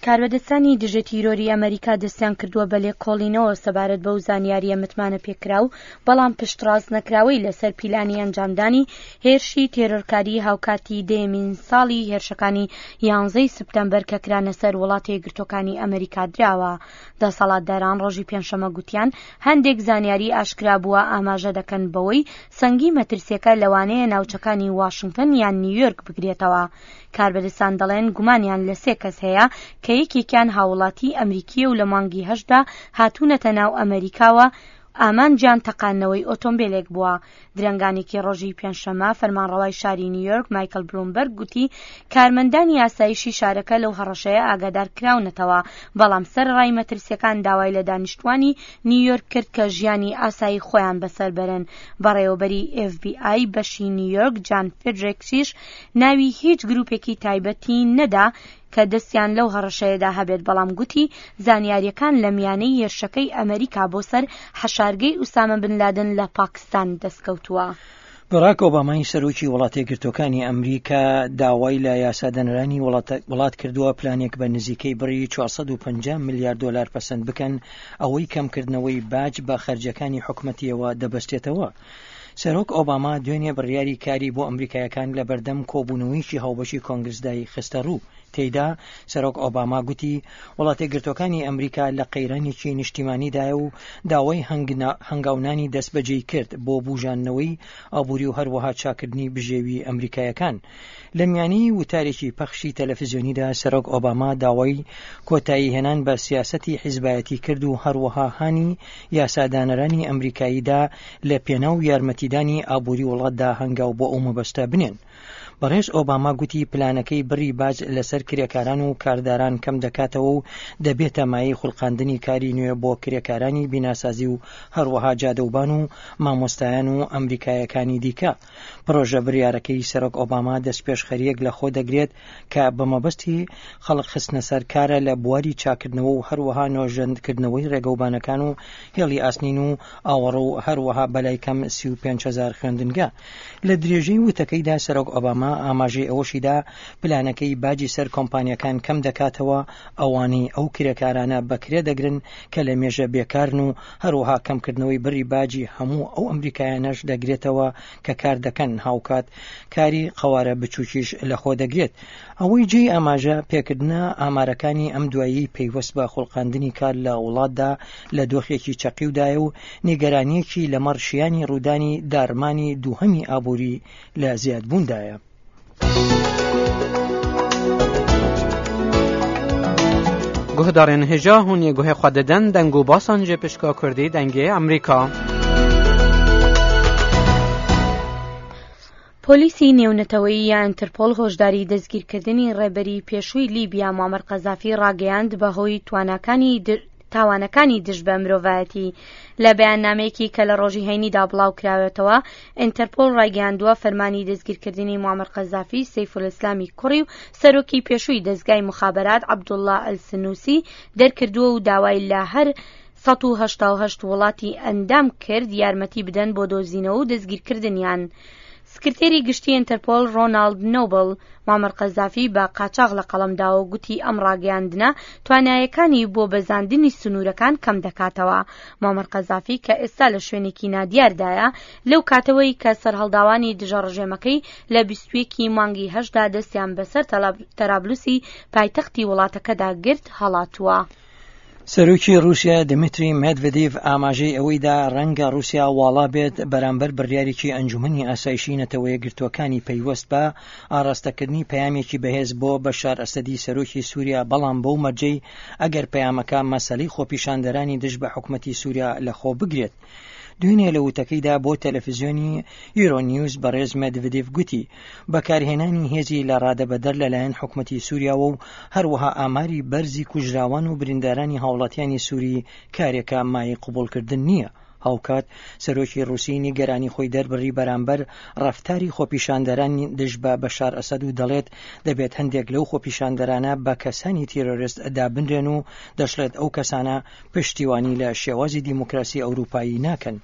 کاربەدەستانی دژە تیرۆری ئەمەریکا دەستیان کردووە بە لێکۆڵینەوە سەبارەت بەو زانیارییە متمانە پێکراو بەڵام پشتڕاست نەکراوەی لەسەر پیلانی ئەنجامدانی هێرشی تێرۆرکاری هاوکاتی دەیەمین ساڵی هێرشەکانی یانزەی سپتەمبەر کە کرانە سەر وڵاتە یەکگرتووەکانی ئەمەریکا دراوە. دەسەڵاتداران ڕۆژی پێنجشەممە گوتیان هەندێک زانیاری ئاشکرا بووە ئاماژە دەکەن بەوەی سەنگی مەترسیەکە لەوانەیە ناوچەکانی واشنگتن یان نیویۆرک بگرێتەوە. کاربەدەستان دەڵێن گومانیان لە سێ کەس هەیە کە یەکێکیان هاووڵاتیی ئەمریکییە و لە مانگی هەشتدا هاتوونەتە ناو ئەمەریکاوە ئامانجیان تەقاندنەوەی ئۆتۆمبێلێک بووە. درەنگانێکی ڕۆژی پێنجشەممە فەرمانڕەوای شاری نیویۆرک مایکل بلومبەرگ گوتی کارمەندانی ئاسایشی شارەکە لەو هەڕەشەیە ئاگادار کراونەتەوە، بەڵام سەرەڕای مەترسییەکان داوای لە دانیشتووانی نیویۆرک کرد کە ژیانی ئاسایی خۆیان بەسەر بەرن. بەڕێوەبەری ئێف بی ئای بەشی نیویۆرک جان فێدرێکسیش ناوی هیچ گروپێکی تایبەتی نەدا کە دەستیان لەو هەڕەشەیەدا هەبێت، بەڵام گوتی زانیارییەکان لە میانەی هێرشەکەی ئەمەریکا بۆ سەر حەشارگەی ئوسامە بن لادن لە پاکستان دەستکەوتووە. باراک ئۆبامای سەرۆکی وڵاتەیەکگرتووەکانی ئەمریکا داوای لە یاسادانەرانی وڵات کردووە پلانێک بە نزیکەی بڕی 450 ملیار دۆلار پەسەند بکەن، ئەوەی کەمکردنەوەی باج بە خەرجیەکانی حکومەتیەوە دەبەستێتەوە. سەرۆک ئۆباما دوێنێ بڕیاری کاری بۆ ئەمریکایەکان لە بەردەم کۆبوونەوەیەکی هاوبەشی کۆنگرسدای خستەڕوو. تێیدا سەرۆک ئۆباما گوتی، وڵاتەیەکگرتووەکانی ئەمریکا لە قەیرانێکی نیشتیمانیدایە و داوای هەنگاونانی دەستبەجێی کرد بۆ بوژاندنەوەی ئابووری و هەروەها چاککردنی بژێوی ئەمریکایەکان. لە میانی وتارێکی پەخشی تەلەفزیۆنیدا سەرۆک ئۆباما داوای کۆتایی هێنان بە سیاسەتی حیزبایەتی کرد و هەروەها هانی یاسادانەرانی ئەمریکایی دا لە پێناو یارمەتیدانی ئابووری وڵاتدا هەنگاو بۆ ئەو مەبەستە بنێن. بەڕێز ئۆباما گوتی پلانەکەی بڕی باج لەسەر کرێکاران و کارداران کەم دەکاتەوە و دەبێتە مایەی خولقاندنی کاری نوێ بۆ کرێکارانی بیناسازی و هەروەها جادەوبان و مامۆستایان و ئەمریکایەکانی دیکە. پڕۆژە بریارەکەی سەرۆک ئۆباما دەستپێشخەرییەک لە خۆ دەگرێت کە بە مەبەستی خەڵک خستنە سەر کارە لە بواری چاککردنەوە و هەروەها نۆژەندکردنەوەی ڕێگەوبانەکان و هێڵی ئاسنین و ئاوەڕۆ و هەروەها بەلای کەم 35 هەزار خوێندنگە. لە درێژەی وتەکەیدا سەرۆک ئۆباما ئاماژەی ئەوەشیدا پلانەکەی باجی سەر کۆمپانیاکان کەم دەکاتەوە ئەوانەی ئەو کرێکارانە بە کرێ دەگرن کە لە مێژە بێکارن و هەروەها کەمکردنەوەی بڕی باجی هەموو ئەو ئەمریکایانەش دەگرێتەوە کە کار دەکەن، هاوکات کاری قەوارە بچووکیش لەخۆ دەگرێت. ئەوەی جێی ئاماژە پێکردنە ئامارەکانی ئەم دواییەی پەیوەست بە خوڵقاندنی کار لە وڵاتدا لە دۆخێکی چەقیودایە و نیگەرانییەکی لەمەڕ شیانی ڕوودانی داڕمانی دووهەمی ئابووری لە زیادبووندایە. Guhdarên hêja hûn yê guhê xwe didin deng û basan ji pişka Kurdî dengê Amerîka. پۆلیسی نێونەتەوەیی یا ئینتەرپۆل هۆشداری دەستگیرکردنی ڕێبەری پێشووی لیبیا موعەمەر قەزافی ڕاگەیاند بەهۆی تواناکانی تاوانەکانی دژ بە مرۆڤایەتی. لە بەیاننامەیەکی کە لە ڕۆژی هەینیدا بڵاوکراوەتەوە، ئینتەرپۆل ڕایگەیاندووە فەرمانی دەستگیرکردنی موعەمەر قەزافی، سەیفولئیسلامی کوڕی و سەرۆکی پێشووی دەزگای موخابەرات عەبدوڵڵا ئەلسنوسی دەرکردووە و داوای لە هەر 188 وڵاتی ئەندام کرد یارمەتی بدەن بۆ دۆزینەوە و دەستگیرکردنیان. سکرتێری گشتی ئینتەرپۆل ڕۆناڵد نۆبڵ، موعەمەر قەزافی بە قاچاغ لە قەڵەم داوە و گوتی ئەم ڕاگەیاندنە توانایەکانی بۆ بەزاندنی سنوورەکان کەم دەکاتەوە. موعەمەر قەزافی کە ئێستا لە شوێنێکی نادیاردایە، لەو کاتەوەی کە سەرهەڵداوانی دژە ڕژێمەکەی لە 21 ی مانگی هەشتدا دەستیان بەسەر تەرابلوسی پایتەختی وڵاتەکەدا گرت، هەڵاتووە. سەرۆکی ڕووسیا دمیتری مێدڤدیڤ ئاماژەی ئەوەی دا ڕەنگە ڕووسیا واڵا بێت بەرامبەر بڕیارێکی ئەنجومەنی ئاسایشی نەتەوەیەکگرتووەکانی پەیوەست بە ئاڕاستەکردنی پەیامێکی بەهێز بۆ بەشار ئەسەدی سەرۆکی سووریا بەڵام بەو مەرجەی ئەگەر پەیامەکە مەسەلەی خۆپیشاندەرانی دژ بە حکومەتی سووریا لەخۆ بگرێت. دوێنێ لە وتەکەیدا بۆ تەلەفزیۆنی یورۆ نیوز بەڕێز مێدڤدیڤ گوتی، بەکارهێنانی هێزی لە ڕادەبەدەر لەلایەن حکومەتی سووریاوە و هەروەها ئاماری بەرزی کوژراوان و بریندارانی هاوڵاتیانی سووری کارێکە مایەی قبوڵکردن نییە. هاوکات سەرۆکی ڕووسی نیگەرانی خۆی دەربڕی بەرامبەر ڕەفتاری خۆپیشاندەران دژ بە بەشار ئەسەد و دەڵێت دەبێت هەندێک لەو خۆپیشاندەرانە بە کەسانی تیرۆرست دابنرێن و دەشڵێت ئەو کەسانە پشتیوانی لە شێوازی دیموکراسی ئەوروپایی ناکەن.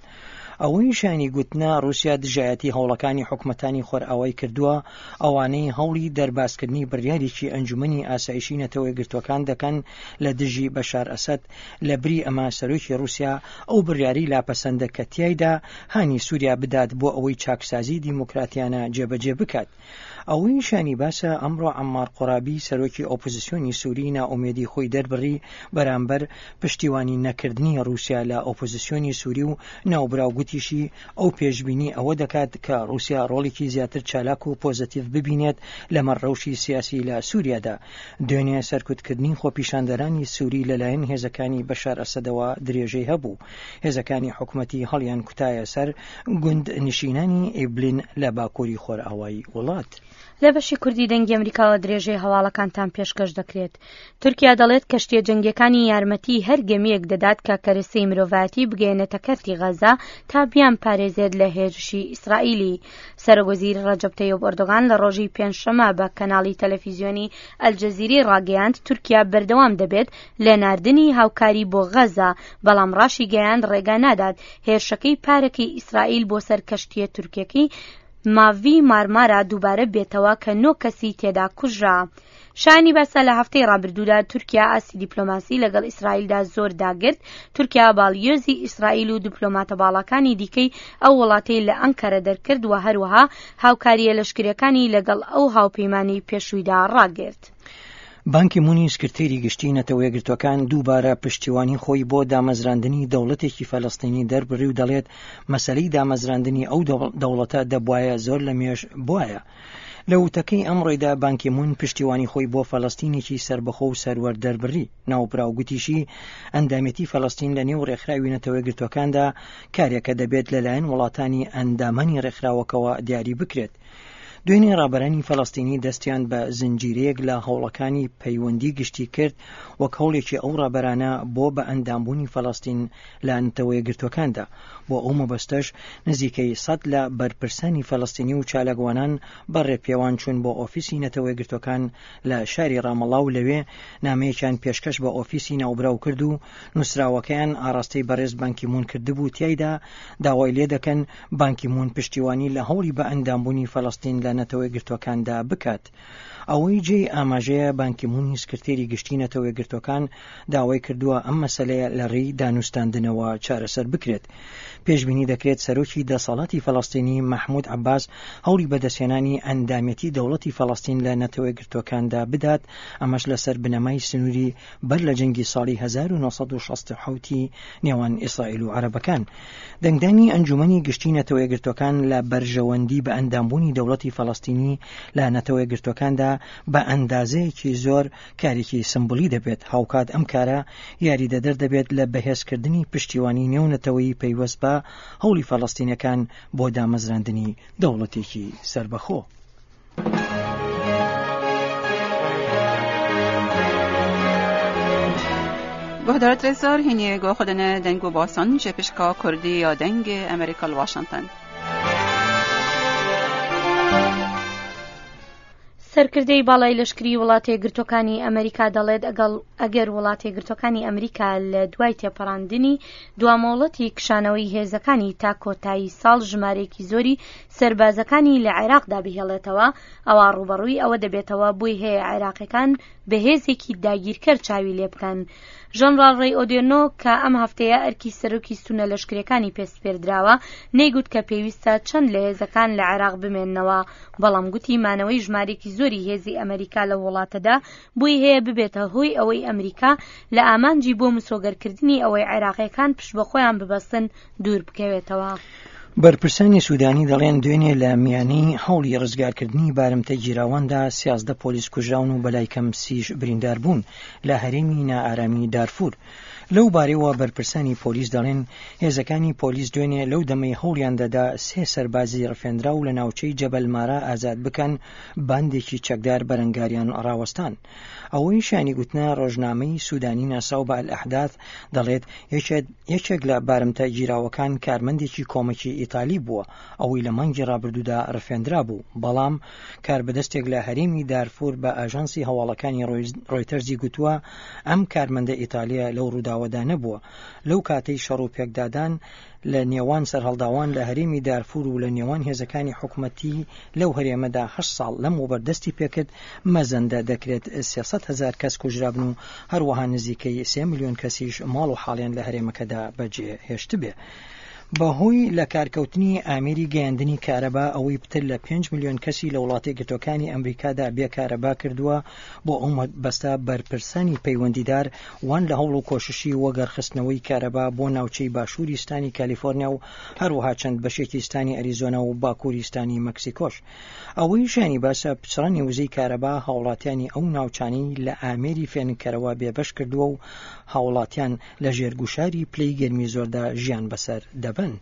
ئەوەی شایانی گوتنە ڕووسیا دژایەتی هەوڵەکانی حکومەتانی خۆرئاوای کردووە، ئەوانەی هەوڵی دەربازکردنی بڕیارێکی ئەنجومەنی ئاسایشی نەتەوەیەکگرتووەکان دەکەن لە دژی بەشار ئەسەد، لە بری ئەمە سەرۆکی ڕووسیا ئەو بڕیارەی لاپەسەندە کە تیایدا هانی سووریا بدات بۆ ئەوەی چاکسازی دیموکراتیانە جێبەجێ بکات. ئەوەی شایانی باسە ئەمڕۆ عەممار قوڕابی سەرۆکی ئۆپۆزسیۆنی سوری نائومێدی خۆی دەربڕی بەرامبەر پشتیوانی نەکردنی ڕووسیا لە ئۆپۆزسیۆنی سوری و ناوبراو گوتیشی ئەو پێشبینی ئەوە دەکات کە ڕووسیا ڕۆڵێکی زیاتر چالاک و پۆزەتیڤ ببینێت لەمەڕ ڕەوشی سیاسی لە سوریادا. دوێنێ سەرکوتکردنی خۆپیشاندەرانی سوری لەلایەن هێزەکانی بەشار ئەسەدەوە درێژەی هەبوو. هێزەکانی حکومەتی هەڵیان کوتایە سەر گوند نشینانی ئیبلین لە باکووری خۆرئاوای وڵات. لە بەشی کوردی دەنگی ئەمریکاوە درێژەی هەواڵەکانتان پێشکەش دەکرێت. تورکیا دەڵێت کەشتیە جەنگیەکانی یارمەتی هەر گەمیەک دەدات کە کەرەسەی مرۆڤایەتی بگەیەنێتە کەرتی غەزە تا بیان پارێزێت لە هێرشی ئیسرائیلی. سەرۆکوەزیر ڕەجەب تەیب ئەردۆغان لە ڕۆژی پێنجشەممە بە کەناڵی تەلەفیزیۆنی ئەلجەزیرەی ڕاگەیاند تورکیا بەردەوام دەبێت لە ناردنی هاوکاری بۆ غەزە، بەڵام ڕاشیگەیاند ڕێگا نادات هێرشەکەی پارەکەی ئیسرائیل بۆ سەر کەشتییە تورکیەکەی ماڤی مارمارا دووبارە بێتەوە کە نۆ کەسی تێدا کوژرا. شایانی باسە لە هەفتەی ڕابردوودا تورکیا ئاستی دیپلۆماسی لەگەڵ ئیسرائیلدا زۆر داگرت، تورکیا باڵیۆزی ئیسرائیل و دیپلۆماتە باڵاکانی دیکەی ئەو وڵاتەی لە ئەنکەرە دەرکرد و هەروەها هاوکارییە لەشکرییەکانی لەگەڵ ئەو هاوپەیمانەی پێشوویدا ڕاگرت. بان کی مونی سکرتێری گشتی نەتەوەیەکگرتووەکان دووبارە پشتیوانی خۆی بۆ دامەزراندنی دەوڵەتێکی فەلەستینی دەربڕی و دەڵێت مەسەلەی دامەزراندنی ئەو دەوڵەتە دەبوایە زۆر لە مێژ بوایە. لە وتەکەی ئەمڕۆیدا بان کی مون پشتیوانی خۆی بۆ فەلەستینێکی سەربەخۆ و سەروەر دەربڕی. ناوبراو گوتیشی ئەندامێتی فەلەستین لە نێو ڕێکخراوی نەتەوەیەکگرتووەکاندا کارێکە دەبێت لەلایەن وڵاتانی ئەندامانی ڕێکخراوەکەوە دیاری بکرێت. دوێنێ ڕابەرانی فەلەستینی دەستیان بە زنجیرەیەک لە هەوڵەکانی پەیوەندی گشتی کرد وەک هەوڵێکی ئەو ڕابەرانە بۆ بە ئەندامبوونی فەلەستین لە نەتەوەیەکگرتووەکاندا. بۆ ئەو مەبەستەش نزیکەی سەد لە بەرپرسانی فەلەستینی و چالاکوانان بە ڕێپێوان چوون بۆ ئۆفیسی نەتەوەیەکگرتووەکان لە شاری ڕامەڵا و لەوێ نامەیەکیان پێشکەش بە ئۆفیسی ناوبراو کرد و نووسراوەکەیان ئاڕاستەی بەڕێز بان کی مون کردبوو تیایدا داوای لێدەکەن بان کی مون پشتیوانی لە هەوڵی بە ئەندامبوونی فەلەستین لە نەتەوەیەکگرتووەکاندا بکات. ئەوەی جێی ئاماژەیە بان کی مونی سکرتێری گشتی نەتەوەیەکگرتووەکان داوای کردووە ئەم مەسەلەیە لە ڕێی دانوستاندنەوە چارەسەر بکرێت. پێشبینی دەکرێت سەرۆکی دەسەڵاتی فەلەستینی مەحمود عەباس هەوڵی بەدەستهێنانی ئەندامێتی دەوڵەتی فەلەستین لە نەتەوەیەکگرتووەکاندا بدات، ئەمەش لەسەر بنەمای سنووری بەر لە جەنگی ساڵی 1967 ی نێوان ئیسرائیل و عەرەبەکان. دەنگدانی ئەنجومەنی گشتی نەتەوەیەکگرتووەکان لە بەرژەوەندی بە ئەندامبوونی دەوڵەتی فەلەستینی لە نەتەوەیەکگرتووەکاندا بە ئەندازەیەکی زۆر کارێکی سمبولی دەبێت، هاوکات ئەم کارە یاریدەدەر دەبێت لە بەهێزکردنی پشتیوانی نێونەتەوەیی پەیوەست بە هەوڵی فەلەستینەکان بۆ دامەزراندنی دەوڵەتێکی سەربەخۆ. گوهدارت رزار هینی گو خودنه دنگ و باسان جه پشکا کردی یا دنگ امریکا واشنطن. سەرکردەی باڵای لەشکری وڵاتە یەکگرتووەکانی ئەمریکا دەڵێت ئەگەڵ ئەگەر وڵاتە یەکگرتووەکانی ئەمریکا لە دوای تێپەڕاندنی دوامۆڵەتی کشانەوەی هێزەکانی تا کۆتایی ساڵ ژمارەیەکی زۆری سەربازەکانی لە عێراقدا بهێڵێتەوە ئەوا ڕووبەڕووی ئەوە دەبێتەوە بۆی هەیە عێراقیەکان بە هێزێکی داگیرکەر چاوی لێ بکەن. ژەنڕاڵ ڕەی ئۆدێرنۆ کە ئەم هەفتەیە ئەرکی سەرۆکی ستونە لەشکریەکانی پێ سپێردراوە نەیگوت کە پێویستە چەند لە هێزەکان لە عێراق بمێننەوە بەڵام گوتی مانەوەی ژمارێکی زۆری هێزی ئەمریکا لەو وڵاتەدا بۆی هەیە ببێتە هۆی ئەوەی ئەمریکا لە ئامانجی بۆ مسۆگەرکردنی ئەوەی عێراقیەکان پشت بە خۆیان ببەستن دوور بکەوێتەوە. بەرپرسانی سودانی دەڵێن دوێنێ لە میانی هەوڵی ڕزگارکردنی بارمتە گیراواندا 13 پۆلیس کوژراون و بەلای کەم سیش بریندار بوون لە هەرێمی نائارامی دارفور. لەو بارەیەوە بەرپرسانی پۆلیس دەڵێن هێزەکانی پۆلیس دوێنێ لەو دەمەی هەوڵیان دەدا سێ سەربازی ڕفێندراو لە ناوچەی جەبەل مارا ئازاد بکەن باندێکی چەکدار بەرەنگاریان ڕاوەستان. ئەوەی شایانی گوتنە ڕۆژنامەی سودانی ناسراو بە ئەلئەحداث دەڵێت یەکێک لە بارمتە گیراوەکان کارمەندێکی کۆمەکی ئیتالی بووە ئەوەی لە مانگی ڕابردوودا ڕفێندرابوو بەڵام کاربەدەستێک لە هەرێمی دارفور بە ئاژانسی هەواڵەکانی ڕۆیتەرزی گوتووە ئەم کارمەندە ئیتالیە لەو ڕووداوە. ڕووداوەدا نەبووە. لەو کاتەی شەڕ و پێکدادان لە نێوان سەرهەڵداوان لە هەرێمی دارفور و لە نێوان هێزەکانی حکومەتی لەو هەرێمەدا هەشت ساڵ لەمەوبەر دەستی پێکرد، مەزەندە دەکرێت 300 هەزار کەس کوژرابن و هەروەها نزیکەی سێ ملیۆن کەسیش ماڵ و حاڵیان لە هەرێمەکەدا بەجێ هێشتبێ. بەهۆی لەکارکەوتنی ئامێری گەیاندنی کارەبا ئەوەی پتر لە پێنج ملیۆن کەسی لە وڵاتە یەکگرتووەکانی ئەمریکادا بێ کارەبا کردووە، بۆ ئەو مەبەستە بەرپرسانی پەیوەندیدار وان لە هەوڵ و کۆششی وەگەڕخستنەوەی کارەبا بۆ ناوچەی باشووری ستانی کالیفۆرنیا و هەروەها چەند بەشێکی ستانی ئەریزۆنا و باکووری ستانی مەکسیکۆش. ئەوەی شایانی باسە پچڕانی وزەی کارەبا هاوڵاتیانی ئەو ناوچانەی لە ئامێری فێنککەرەوە بێبەش کردووە و هاوڵاتیان لە ژێر گوشاری پلەی گەرمی زۆردا ژیان بەسەر دەبەن.